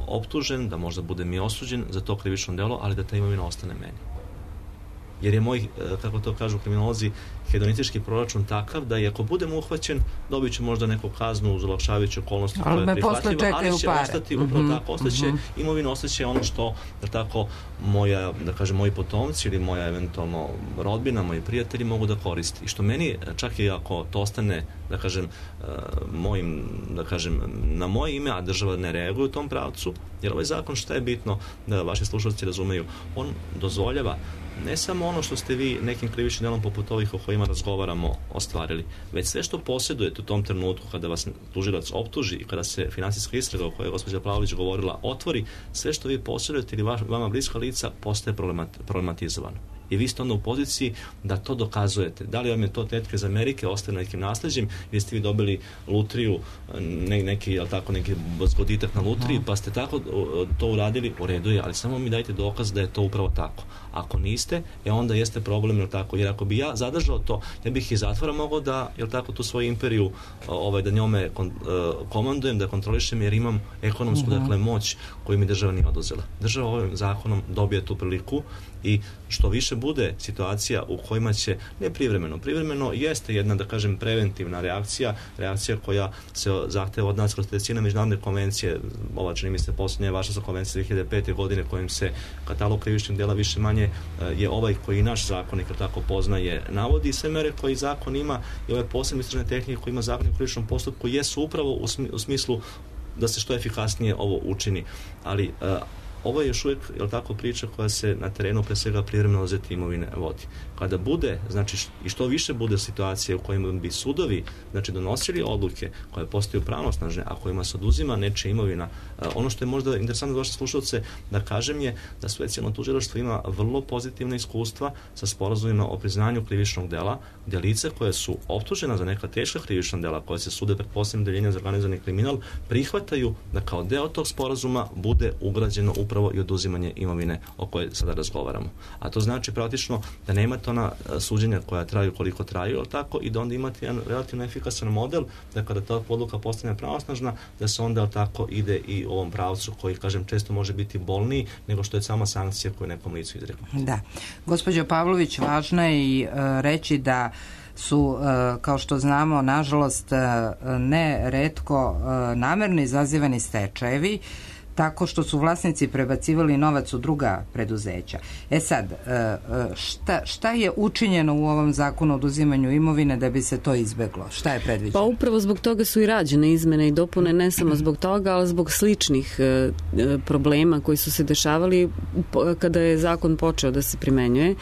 optužen, da možda budem i osuđen za to krivično delo, ali da ta imovina ostane meni. Jer je moj, kako to kažu kriminolozi, hedonistički proračun takav da i ako budem uhvaćen, dobit ću možda neku kaznu uz olakšavajuće okolnosti koja je prihvatljiva, ali će pare. ostati, upravo mm-hmm. tako, ostaće, mm-hmm. imovina ostaće ono što, da tako, moja, da kažem, moji potomci ili moja eventualno rodbina, moji prijatelji mogu da koriste. I što meni, čak i ako to ostane, da kažem, mojim, da kažem, na moje ime, a država ne reaguje u tom pravcu, jer ovaj zakon, šta je bitno da vaši slušalci razumeju, on dozvoljava ne samo ono što ste vi nekim krivičnim delom poput ovih o kojima razgovaramo ostvarili, već sve što posjedujete u tom trenutku kada vas tužilac optuži i kada se finansijska istraga o kojoj je gospođa Pavlović govorila otvori, sve što vi posjedujete ili vama bliska lica postaje problematizovano. I vi ste onda u poziciji da to dokazujete. Da li vam je to tetke iz Amerike ostane nekim nasleđem, ili ste vi dobili lutriju, ne, neki, jel tako, neki zgoditak na lutriji, pa ste tako to uradili, u redu je, ali samo mi dajte dokaz da je to upravo tako. Ako niste, e onda jeste problem, jel tako, jer ako bi ja zadržao to, ja bih iz zatvora mogao da, jel tako, tu svoju imperiju, ovaj, da njome kon, uh, komandujem, da kontrolišem, jer imam ekonomsku, uh-huh. dakle, moć koju mi država nije oduzela. Država ovim zakonom dobije tu priliku i što više bude situacija u kojima će, ne privremeno, privremeno jeste jedna, da kažem, preventivna reakcija, reakcija koja se zahteva od nas kroz terecine međunarodne konvencije, ova čini mi se posljednja vaša sa konvencija dve hiljade pete. godine kojim se katalog krivičnih dela više manje je ovaj koji naš zakonik tako poznaje, navodi sve mere koji zakon ima i ove posebne istražne tehnike koji ima zakon o krivičnom postupku jesu upravo u, smi, u smislu da se što efikasnije ovo učini. Ali uh, ovo je još uvijek, jel tako, priča koja se na terenu pre svega privremeno oduzete imovine vodi. Kada bude, znači i što više bude situacije u kojima bi sudovi, znači, donosili odluke koje postaju pravnosnažne, a kojima se oduzima nečija imovina, ono što je možda interesantno za vaše slušalce da kažem je da specijalno tužilaštvo ima vrlo pozitivna iskustva sa sporazumima o priznanju krivičnog dela, gdje lice koje su optužena za neka teška krivična dela koje se sude pred posebnim deljenjem za organizovani kriminal prihvataju da kao deo tog sporazuma bude ugrađeno upravo i oduzimanje imovine o kojoj sada razgovaramo. A to znači praktično da nemate ona suđenja koja traju koliko traju, ali tako, i da onda imate jedan relativno efikasan model da kada ta odluka postane pravosnažna, da se onda tako ide i u ovom pravcu koji, kažem, često može biti bolniji nego što je sama sankcija koju nekom licu izrekla. Da. Gospođo Pavlović, važno je i uh, reći da su, uh, kao što znamo, nažalost, uh, ne retko uh, namerno izazivani stečajevi, tako što su vlasnici prebacivali novac u druga preduzeća. E sad, šta, šta je učinjeno u ovom zakonu o oduzimanju imovine da bi se to izbeglo? Šta je predviđeno? Pa upravo zbog toga su i rađene izmene i dopune, ne samo zbog toga, ali zbog sličnih e, problema koji su se dešavali kada je zakon počeo da se primenjuje.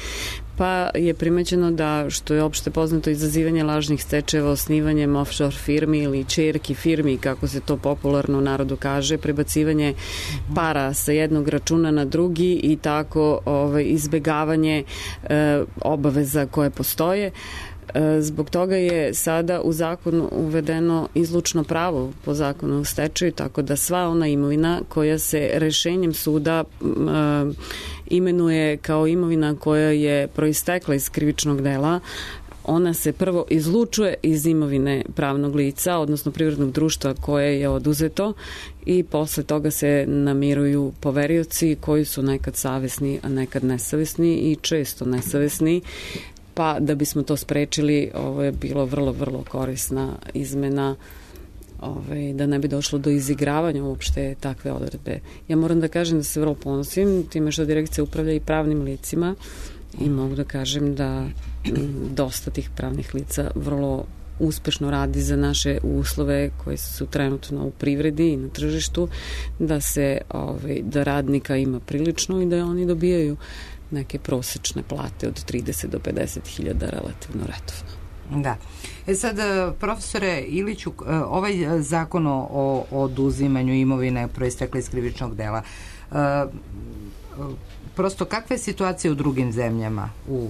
Pa je primećeno da, što je opšte poznato, izazivanje lažnih stečajeva osnivanjem offshore firmi ili ćerki firmi, kako se to popularno u narodu kaže, prebacivanje para sa jednog računa na drugi i tako ovaj, izbegavanje e, obaveza koje postoje. Zbog toga je sada u zakonu uvedeno izlučno pravo po zakonu o stečaju, tako da sva ona imovina koja se rešenjem suda e, imenuje kao imovina koja je proistekla iz krivičnog dela, ona se prvo izlučuje iz imovine pravnog lica, odnosno privrednog društva koje je oduzeto, i posle toga se namiruju poverioci koji su nekad savesni, a nekad nesavesni i često nesavesni. Pa da bismo to sprečili, ovo je bilo vrlo, vrlo korisna izmena, ovaj, da ne bi došlo do izigravanja uopšte takve odredbe. Ja moram da kažem da se vrlo ponosim time što direkcija upravlja i pravnim licima i mogu da kažem da dosta tih pravnih lica vrlo uspešno radi za naše uslove koje su trenutno u privredi i na tržištu, da se ovaj, da radnika ima prilično i da oni dobijaju neke prosečne plate od trideset do pedeset hiljada relativno redovno. Da. E sad, profesore Iliću, ovaj zakon o oduzimanju imovine proistekle iz krivičnog dela, prosto kakva je situacija u drugim zemljama, u,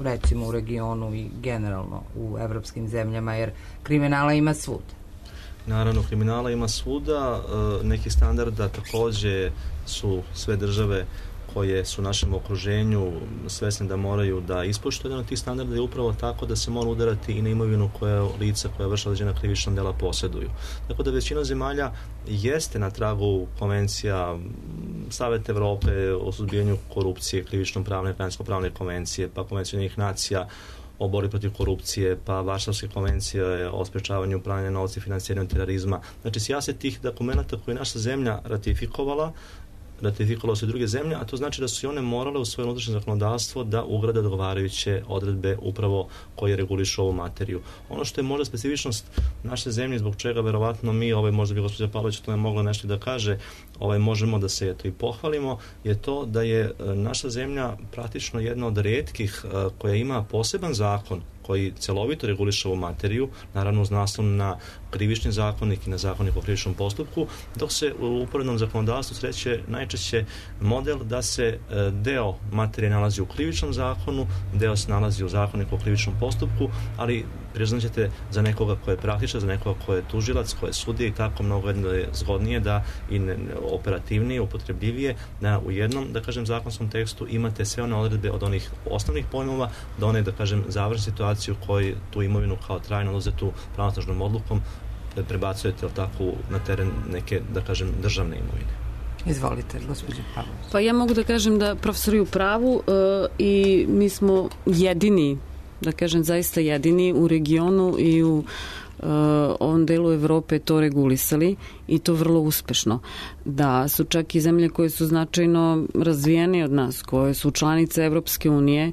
recimo u regionu i generalno u evropskim zemljama, jer kriminala ima svuda? Naravno, kriminala ima svuda, neki standarda takođe su sve države koje su u našem okruženju svesni da moraju da ispoštuju. Jedan od tih standarda je upravo tako da se mora udarati i na imovinu koja lica koja vrše određena krivična dela posjeduju. Tako da većina zemalja jeste na tragu konvencija Saveta Evrope o suzbijanju korupcije, krivično pravne, građansko pravne konvencije, pa konvencija Ujedinjenih nacija o borbi protiv korupcije, pa Varšavske konvencije o sprečavanju pranja novca i financiranju terorizma. Znači, sjase tih dokumenta koje je naša zemlja ratifikovala, ratifikovalo se druge zemlje, a to znači da su i one morale u svoje unutrašnje zakonodavstvo da ugrade odgovarajuće odredbe upravo koje regulišu ovu materiju. Ono što je možda specifičnost naše zemlje, zbog čega verovatno mi, ovaj, možda bi gospođa Pavlović o tome mogla nešto da kaže, ovaj, možemo da se eto i pohvalimo, je to da je naša zemlja praktično jedna od retkih koja ima poseban zakon koji celovito reguliše ovu materiju, naravno uz naslov na krivični zakonik i na zakonik o krivičnom postupku, dok se u uporednom zakonodavstvu sreće najčešće model da se deo materije nalazi u krivičnom zakonu, deo se nalazi u zakoniku o krivičnom postupku, ali priznaćete za nekoga ko je praktičan, za nekoga ko je tužilac, ko je sudija i tako mnogo je zgodnije da i operativnije, upotrebljivije, da u jednom, da kažem, zakonskom tekstu imate sve one odredbe od onih osnovnih pojmova do one, da kažem, završne situacije u kojoj tu imovinu kao trajno oduzetu pravosnažnom odlukom prebacujete tako na teren neke, da kažem, državne imovine. Izvolite, gospođo Pavlović. Pa ja mogu da kažem da profesori u pravu uh, i mi smo jedini, da kažem zaista jedini u regionu i u uh, ovom delu Evrope to regulisali i to vrlo uspešno. Da su čak i zemlje koje su značajno razvijene od nas, koje su članice Evropske unije,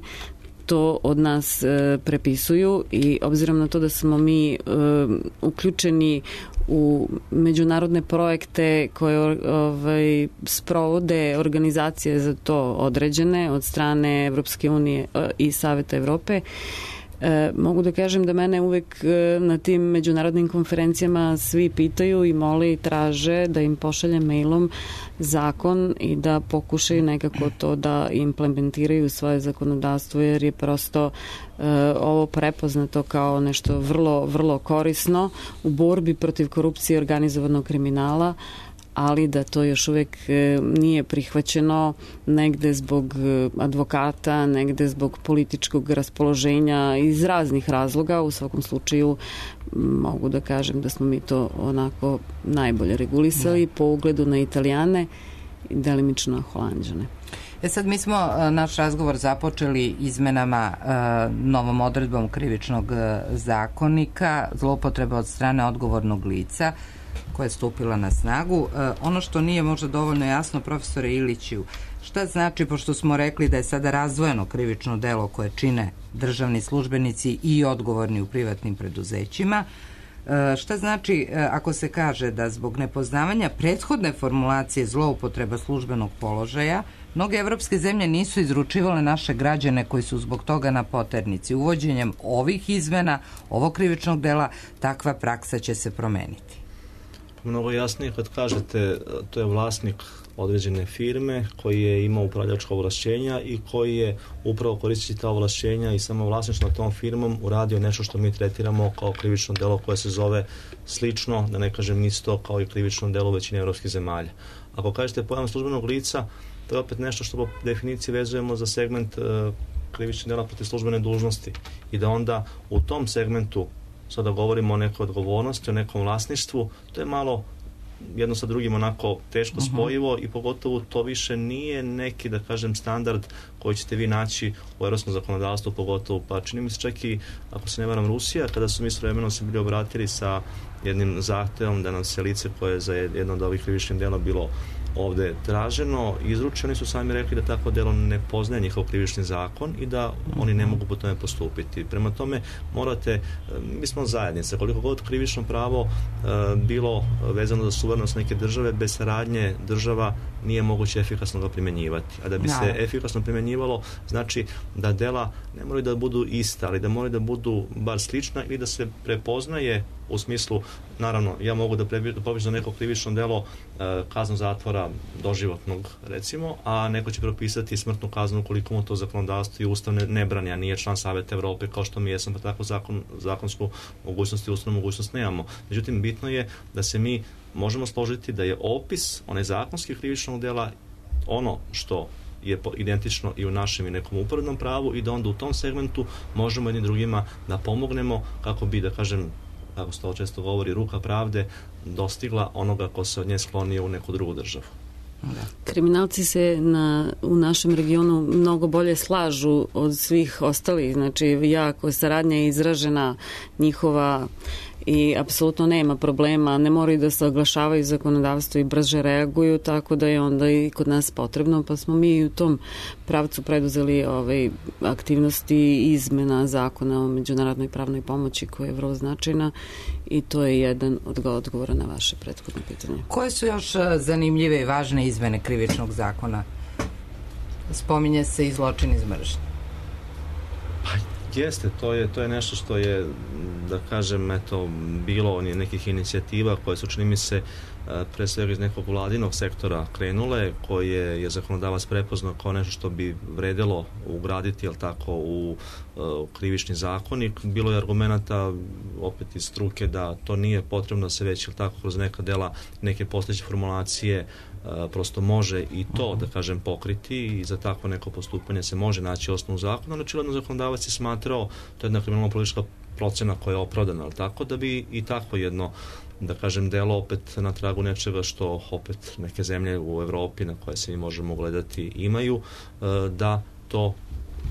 to od nas e, prepisuju i obzirom na to da smo mi e, uključeni u međunarodne projekte koje ovaj, sprovode organizacije za to određene od strane Evropske unije e, i Saveta Evrope, E, mogu da kažem da mene uvek e, na tim međunarodnim konferencijama svi pitaju i mole i traže da im pošaljem mailom zakon i da pokušaju nekako to da implementiraju svoje zakonodavstvo, jer je prosto e, ovo prepoznato kao nešto vrlo, vrlo korisno u borbi protiv korupcije i organizovanog kriminala, ali da to još uvek nije prihvaćeno negde zbog advokata, negde zbog političkog raspoloženja iz raznih razloga. U svakom slučaju mogu da kažem da smo mi to onako najbolje regulisali po ugledu na Italijane i delimično Holanđane. E sad, mi smo naš razgovor započeli izmenama novom odredbom krivičnog zakonika, zloupotreba od strane odgovornog lica koja je stupila na snagu. Ono što nije možda dovoljno jasno, profesore Iliću, šta znači, pošto smo rekli da je sada razdvojeno krivično delo koje čine državni službenici i odgovorni u privatnim preduzećima, šta znači ako se kaže da zbog nepoznavanja prethodne formulacije zloupotreba službenog položaja mnoge evropske zemlje nisu izručivale naše građane koji su zbog toga na poternici. Uvođenjem ovih izmena, ovog krivičnog dela, takva praksa će se promeniti. Mnogo jasnije kad kažete to je vlasnik određene firme koji je imao upravljačka ovlašćenja i koji je upravo koristeći ta ovlašćenja i samo vlasništvo nad tom firmom uradio nešto što mi tretiramo kao krivično delo koje se zove slično, da ne kažem isto, kao i krivično delo u većini evropskih zemalja. Ako kažete pojam službenog lica, to je opet nešto što po definiciji vezujemo za segment uh, krivičnog dela protiv službene dužnosti i da onda u tom segmentu sada govorimo o nekoj odgovornosti, o nekom vlasništvu, to je malo jedno sa drugim onako teško spojivo uh-huh. i pogotovo to više nije neki, da kažem, standard koji ćete vi naći u evropskom zakonodavstvu, pogotovo, pa čini mi se čak i, ako se ne varam, Rusija, kada su mi s vremenom se bili obratili sa jednim zahtevom da nam se lice koje je za jedno od ovih krivičnih dela bilo ovde traženo, izručeni su sami rekli da tako delo ne poznaje njihov krivični zakon i da oni ne mogu po tome postupiti. Prema tome morate, mi smo zajednica, koliko god krivično pravo e, bilo vezano za suverenost neke države, bez saradnje država nije moguće efikasno ga primjenjivati. A da bi se efikasno primjenjivalo, znači da dela ne moraju da budu ista, ali da moraju da budu bar slična ili da se prepoznaje u smislu, naravno, ja mogu da pobiš za neko krivično delo e, kaznu zatvora doživotnog, recimo, a neko će propisati smrtnu kaznu ukoliko mu to zakonodavstvo i ustav ne, ne brani, a nije član Saveta Evrope kao što mi jesam, pa tako zakon, zakonsku mogućnost i ustavnu mogućnost nemamo. Međutim, bitno je da se mi možemo složiti da je opis one zakonskih krivičnog dela ono što je identično i u našem i nekom uporednom pravu i da onda u tom segmentu možemo jednim drugima da pomognemo kako bi, da kažem, kako se to često govori, ruka pravde dostigla onoga ko se od nje sklonio u neku drugu državu. Da. Kriminalci se na, u našem regionu mnogo bolje slažu od svih ostalih, znači jako saradnja je izražena njihova i apsolutno nema problema, ne moraju da se oglašavaju zakonodavstvo i brže reaguju, tako da je onda i kod nas potrebno, pa smo mi u tom pravcu preduzeli ovaj, aktivnosti izmena zakona o međunarodnoj pravnoj pomoći koja je vrlo značajna i to je jedan od odgovora na vaše prethodno pitanje. Koje su još zanimljive i važne izmene krivičnog zakona? Spominje se i zločin iz mržnje. Jeste, to je, to je nešto što je, da kažem, eto, bilo nekih inicijativa koje su, čini mi se, pre svega iz nekog vladinog sektora krenule, koje je zakonodavac prepoznao kao nešto što bi vredelo ugraditi, jel tako, u uh, krivični zakonik. Bilo je argumenta opet iz struke da to nije potrebno se već, jel tako, kroz neka dela, neke postojeće formulacije uh, prosto može i to, da kažem, pokriti i za takvo neko postupanje se može naći osnovu zakona, ali očigledno zakonodavac je smatrao, to je jedna kriminalno-politička procena koja je opravdana, ali tako da bi i tako jedno, da kažem, delo opet na tragu nečega što opet neke zemlje u Evropi na koje se mi možemo gledati imaju, da to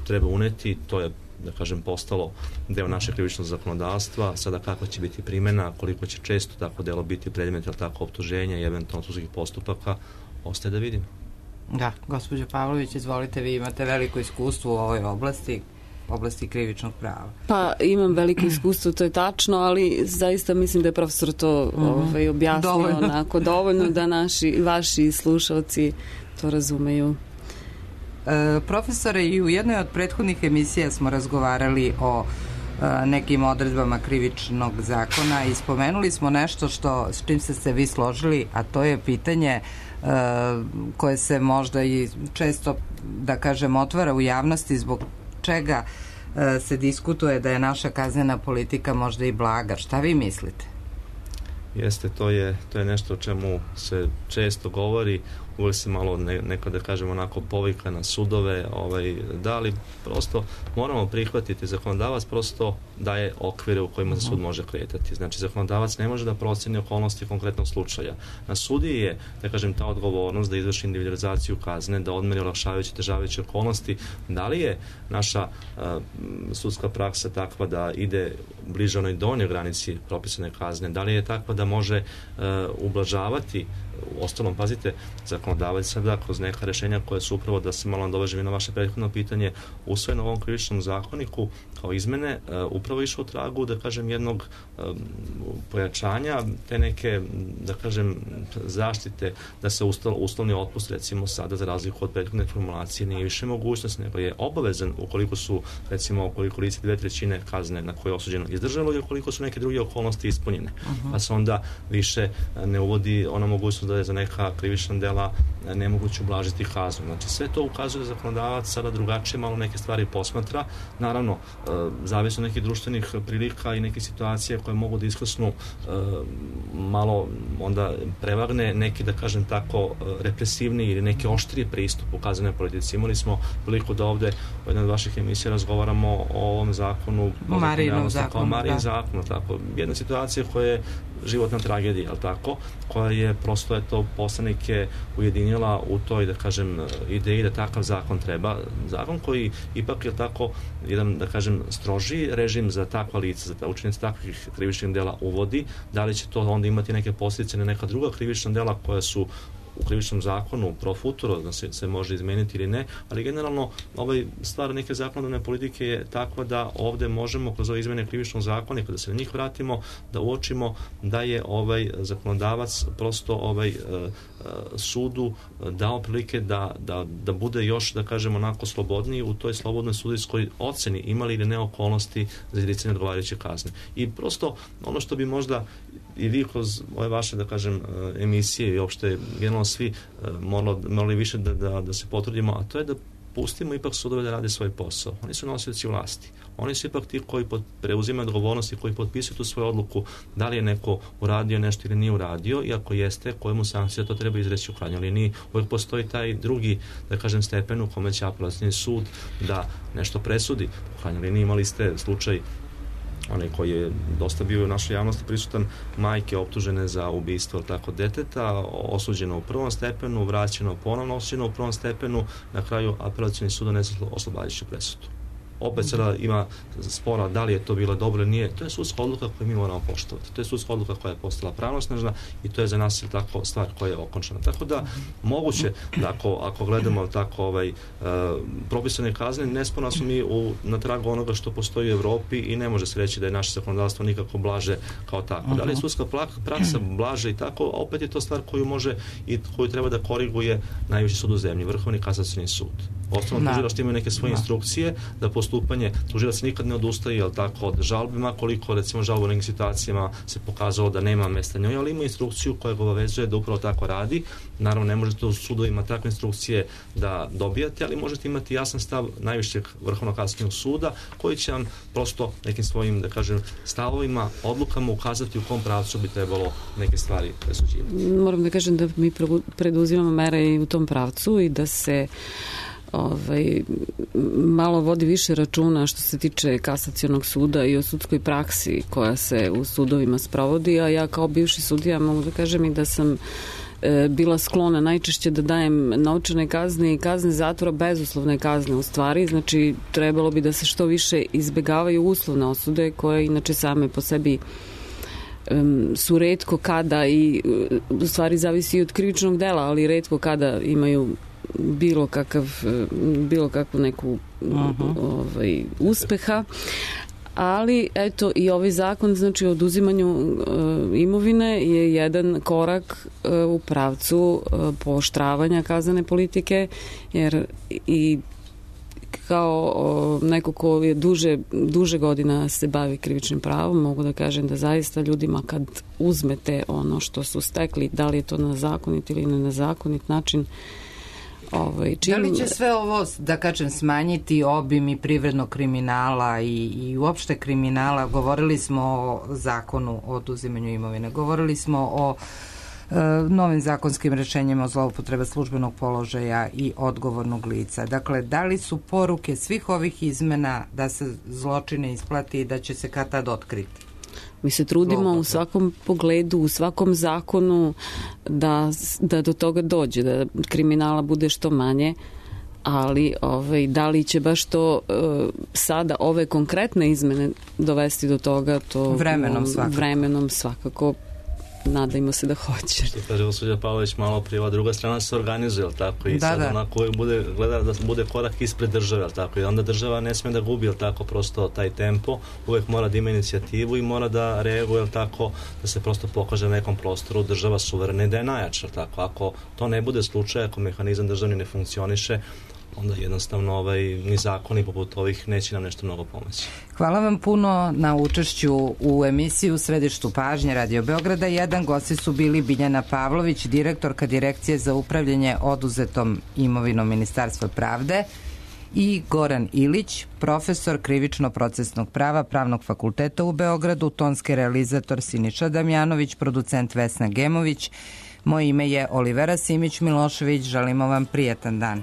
treba uneti, to je, da kažem, postalo deo našeg krivičnog zakonodavstva. Sada kako će biti primjena, koliko će često tako delo biti predmet, ili tako, optuženja i eventualno sudskih postupaka, ostaje da vidimo. Da, gospođo Pavlović, izvolite, vi imate veliko iskustvo u ovoj oblasti, oblasti krivičnog prava. Pa imam veliko iskustvo, to je tačno, ali zaista mislim da je profesor to mm-hmm. ovaj, objasnio dovoljno. onako dovoljno da naši, vaši slušalci to razumeju. E, profesore, i u jednoj od prethodnih emisija smo razgovarali o e, nekim odredbama krivičnog zakona i spomenuli smo nešto što, s čim ste se vi složili, a to je pitanje e, koje se možda i često, da kažem, otvara u javnosti, zbog čega e, se diskutuje da je naša kaznena politika možda i blaga. Šta vi mislite? Jeste, to je, to je nešto o čemu se često govori, uvijek se malo ne, neko, da kažemo, onako povika na sudove, ovaj, da li prosto moramo prihvatiti, zakonodavac prosto daje okvire u kojima se sud može kretati. Znači, zakonodavac ne može da proceni okolnosti konkretnog slučaja. Na sudiji je, da kažem, ta odgovornost da izvrši individualizaciju kazne, da odmeri olakšavajuće, težavajuće okolnosti. Da li je naša uh, sudska praksa takva da ide bliže onoj donjoj granici propisane kazne? Da li je takva da može uh, ublažavati? U ostalom, pazite, zakonodavac sada kroz neka rešenja koje su upravo, da se malo nadovežem i na vaše prethodno pitanje, usvojeno u ovom krivičnom zakoniku kao izmene, uh, upravo išao u tragu, da kažem, jednog um, pojačanja te neke, da kažem, zaštite, da se ustal, uslovni otpust, recimo sada, za razliku od prethodne formulacije, nije više mogućnost, nego je obavezan ukoliko su, recimo, ukoliko lice dve trećine kazne na koje je osuđeno izdržalo i ukoliko su neke druge okolnosti ispunjene. Uh-huh. Pa se onda više ne uvodi ona mogućnost da je za neka krivična dela nemoguće ublažiti kaznu. Znači, sve to ukazuje da zakonodavac sada drugačije malo neke stvari posmatra. Naravno, e, zavisno nekih društvenih prilika i neke situacije koje mogu da iskrsnu e, malo onda prevagne neki, da kažem tako, represivni ili neki oštriji pristup u kaznenoj politici. Imali smo priliku da ovde u jednoj od vaših emisija razgovaramo o ovom zakonu, Marijinom zakonu, Marijin zakonu, tako. Jedna situacija koja je životna tragedija, ali tako, koja je prosto, eto, poslanike ujedinila u toj, da kažem, ideji da takav zakon treba. Zakon koji ipak je tako jedan, da kažem, strožiji režim za takva lica, za učinice takvih krivičnih dela uvodi. Da li će to onda imati neke posljedice na neka druga krivična dela koja su u krivičnom zakonu pro futuro, da se, se može izmeniti ili ne, ali generalno ovaj stvar neke zakonodavne politike je takva da ovde možemo kroz ove izmene krivičnog zakonika, da se na njih vratimo, da uočimo da je ovaj zakonodavac prosto ovaj uh, sudu dao prilike da, da, da bude još, da kažemo, onako slobodniji u toj slobodnoj sudijskoj oceni, imali ili ne okolnosti za izricanje odgovarajuće kazne. I prosto ono što bi možda i vi kroz ove vaše, da kažem, emisije i uopšte generalno svi morali, morali više da, da, da se potrudimo, a to je da pustimo ipak sudove da rade svoj posao. Oni su nosioci vlasti. Oni su ipak ti koji pod, preuzimaju odgovornost i koji potpisuju tu svoju odluku da li je neko uradio nešto ili nije uradio, i ako jeste, kojemu sankcija to treba izreći u krajnjoj liniji. Uvijek postoji taj drugi, da kažem, stepen u kome će apelacioni sud da nešto presudi. U krajnjoj liniji imali ste slučaj onaj koji je dosta bio u našoj javnosti prisutan, majke optužene za ubistvo tako deteta, osuđeno u prvom stepenu, vraćeno ponovno osuđeno u prvom stepenu, na kraju apelacioni sud donese oslobađajuću presudu. Opet sada ima spora da li je to bilo dobro ili nije. To je sudska odluka koju mi moramo poštovati. To je sudska odluka koja je postala pravnosnažna i to je za nas tako stvar koja je okončana. Tako da moguće da ako, ako gledamo tako ovaj, uh, propisane kazne, nesporno smo mi u, na tragu onoga što postoji u Evropi i ne može se reći da je naše zakonodavstvo nikako blaže kao tako. Da li je sudska praksa blaže i tako, a opet je to stvar koju može i koju treba da koriguje najviši sud u zemlji, Vrhovni kasacioni sud. Osnovno tužilaštvo imaju neke svoje instrukcije da postupanje tužilac nikad ne odustaje, jel tako, od žalbe, makoliko recimo žalbu u nekim situacijama se pokazalo da nema mesta njoj, ali ima instrukciju koja ga obavezuje da upravo tako radi. Naravno, ne možete u sudovima takve instrukcije da dobijate, ali možete imati jasan stav najvišeg Vrhovnog kasacionog suda koji će vam prosto nekim svojim, da kažem, stavovima, odlukama ukazati u kom pravcu bi trebalo neke stvari presuđivati. Moram da kažem da mi preduzimamo mere i u tom pravcu i da se ovaj, malo vodi više računa što se tiče kasacionog suda i o sudskoj praksi koja se u sudovima sprovodi, a ja kao bivši sudija mogu da kažem i da sam e, bila sklona najčešće da dajem novčane kazne i kazne zatvora, bezuslovne kazne u stvari, znači trebalo bi da se što više izbegavaju uslovne osude koje inače same po sebi um, su retko kada i u stvari zavisi i od krivičnog dela, ali retko kada imaju bilo kakav bilo kakvu neku uh-huh. ovaj, uspeha, ali eto i ovaj zakon, znači o oduzimanju uh, imovine je jedan korak uh, u pravcu uh, pooštravanja kaznene politike, jer i kao uh, neko ko je duže, duže godina se bavi krivičnim pravom, mogu da kažem da zaista ljudima kad uzmete ono što su stekli, da li je to na zakonit ili ne na zakonit način, Ovaj, čim... Da li će sve ovo, da kažem, smanjiti obim i privrednog kriminala i, i uopšte kriminala? Govorili smo o zakonu o oduzimanju imovine, govorili smo o e, novim zakonskim rešenjima o zloupotrebe službenog položaja i odgovornog lica. Dakle, da li su poruke svih ovih izmena da se zločine isplati i da će se kad tad otkriti? Mi se trudimo u svakom pogledu, u svakom zakonu da, da do toga dođe, da kriminala bude što manje, ali ovaj, da li će baš to uh, sada ove konkretne izmene dovesti do toga, to vremenom svakako. Vremenom svakako. Nadajmo se da hoće. Što kaže gospođa Pavlović malo prije, druga strana se organizuje, tako, i da, sad da. Onako bude, gleda da bude korak ispred države, tako, i onda država ne sme da gubi, tako, prosto taj tempo, uvek mora da ima inicijativu i mora da reaguje, tako, da se prosto pokaže na nekom prostoru država suverena i da je najjača, tako, ako to ne bude slučaj, ako mehanizam državni ne funkcioniše, onda jednostavno ovaj, ni zakoni poput ovih neće nam nešto mnogo pomoći. Hvala vam puno na učešću u emisiji U središtu pažnje Radio Beograda. Jedan gosti su bili Biljana Pavlović, direktorka Direkcije za upravljanje oduzetom imovinom Ministarstva pravde, i Goran Ilić, profesor krivično-procesnog prava Pravnog fakulteta u Beogradu, tonski realizator Siniša Damjanović, producent Vesna Gemović. Moje ime je Olivera Simić Milošević. Želimo vam prijetan dan.